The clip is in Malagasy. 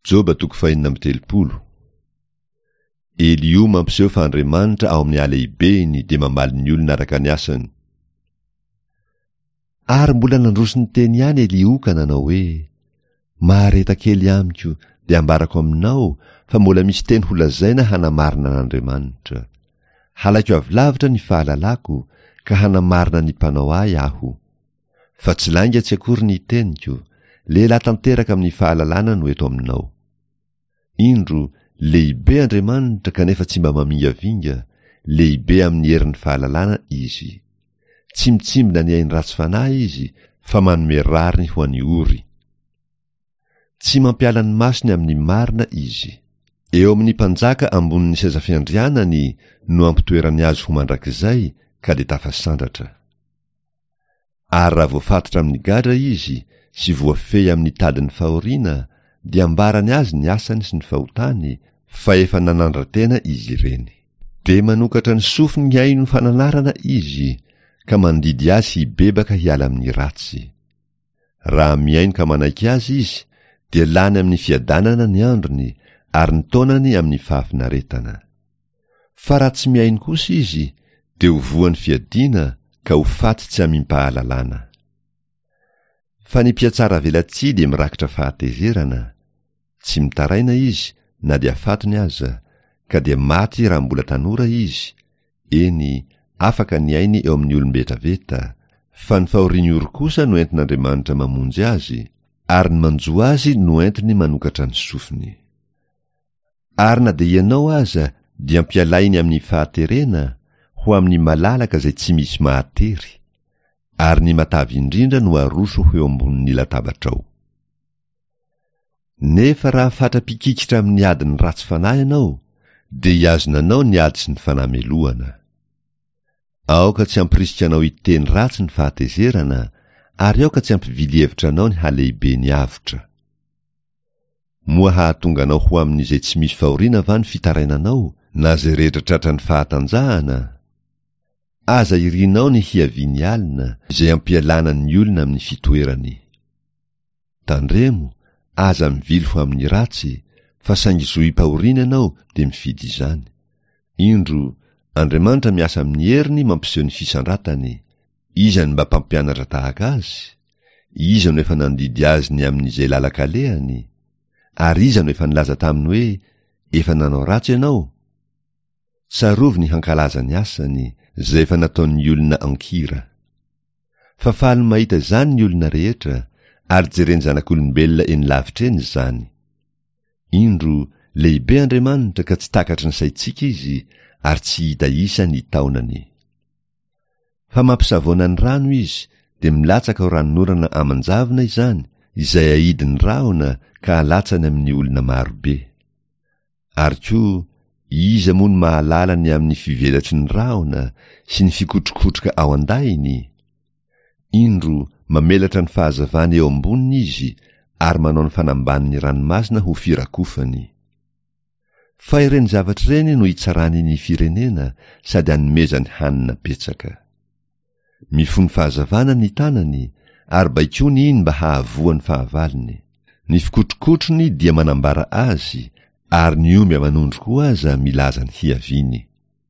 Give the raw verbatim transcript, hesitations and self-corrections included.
Joba toko fahenina amby telopolo. Eliho mampiseho fa Andriamanitra ao amin'ny halehibeny dia mamaly ny olona araka ny asany. Ary mbola nandroso ny teny ihany Eliho ka nanao hoe: Mahareta kely amiko dia ambarako aminao fa mbola misy teny holazaina hanamarina an'Andriamanitra. Halaiko avy lavitra ny fahalalako ka hanamarina ny mpanao ahy aho. Fa tsy lainga tsy akory ny teniko, lehilahy tanteraka amin'ny fahalalana no eto aminao. Indro, lehibe Andriamanitra kanefa tsy mba mamingavinga, lehibe amin'ny herin'ny fahalalana izy. Tsy mitsimbina ny ain'ny ratsy fanahy izy fa manome rariny ho an'ny ory. Tsy mampiala ny masony amin'ny marina izy. Eo amin'ny mpanjaka ambonin'ny seza fiandrianany no ampitoerany azy ho mandrakizay ka dia tafasandratra. Ary raha voafatotra amin'ny gadra izy sy voafehy amin'ny tadin'ny fahoriana, dia ambarany azy ny asany sy ny fahotany, fa efa nanandra-tena izy ireny. Dia manokatra ny sofiny hihaino fananarana izy, ka mandidy azy hibebaka hiala amin'ny ratsy. Raha mihaino ka manaiky azy izy, dia lany amin'ny fiadanana ny androny, ary ny taonany amin'ny fahafinaretana. Fa raha tsy mihaino kosa izy, dia ho voan'ny fiadiana ka ho faty tsy amim-pahalalana. Fa ny mpiatsara velatsihy dia mirakitra fahatezerana, tsy mitaraina izy na dia fatony aza, ka dia maty raha mbola tanora izy, eny, afaka ny ainy eo amin'ny olom-betaveta, fa ny fahorian'ny ory kosa no entin'Andriamanitra mamonjy azy, ary ny manjo azy no entiny manokatra ny sofiny. Ary na dia ianao aza dia ampialainy amin'ny fahaterena, ho amin'ny malalaka izay tsy misy mahatery, ary ny matavy indrindra no aroso ho eo ambonin'ny latabatrao. Nefa raha fatra-pikikitra amin'ny adin'ny ratsy fanahy ianao, dia hihazona anao ny ady sy ny fanamelohana. Aoka tsy hampirisika anao hiteny ratsy ny fahatezerana, ary aoka tsy hampivily hevitra anao ny halehiben'ny avotra. Moa hahatonga anao ho amin'izay tsy misy fahoriana va ny fitarainanao, na izay rehetra tratran'ny fahatanjahana? Aza irinao ny hiavian'ny alina, izay ampialana ny olona amin'ny fitoerany. Tandremo, aza mivily ho amin'ny ratsy, fa saingy zohim-pahoriana ianao dia mifidy izany. Indro, Andriamanitra miasa amin'ny heriny mampiseho ny fisandratany. Iza no mba mpampianatra tahaka azy? Iza no efa nandidy azy ny amin'izay lalan-kalehany? Ary iza no efa nilaza taminy hoe, efa nanao ratsy ianao? Tsarovy ny hankalaza ny asany, izay efa nataon'ny olona an-kira. Fa faly mahita izany ny olona rehetra, ary jeren'ny zanak'olombelona eny lavitra eny izany. Indro, lehibe Andriamanitra ka tsy takatry ny saintsika izy, ary tsy hita isa ny taonany. Fa mampisavoana ny rano izy, dia milatsaka ho ranonorana aman-javona izany, izay aidin'ny rahona ka alatsany amin'ny olona marobe. Ary koa, iza moa no mahalala ny amin'ny fivelatry ny rahona sy ny fikotrokotroka ao an-dahiny? Indro, mamelatra ny fahazavany eo amboniny izy, ary manao ny fanambanin'ny ranomasina ho firakofany. Fa ireny zavatra ireny no itsarany ny firenena sady anomezany hanina betsaka. Mifono fahazavana ny tanany, ary baikoany iny mba hahavoa ny fahavalony. Ny fikotrokotrony dia manambara azy, ary ny omby aman'ondry koa aza milaza ny hiaviany.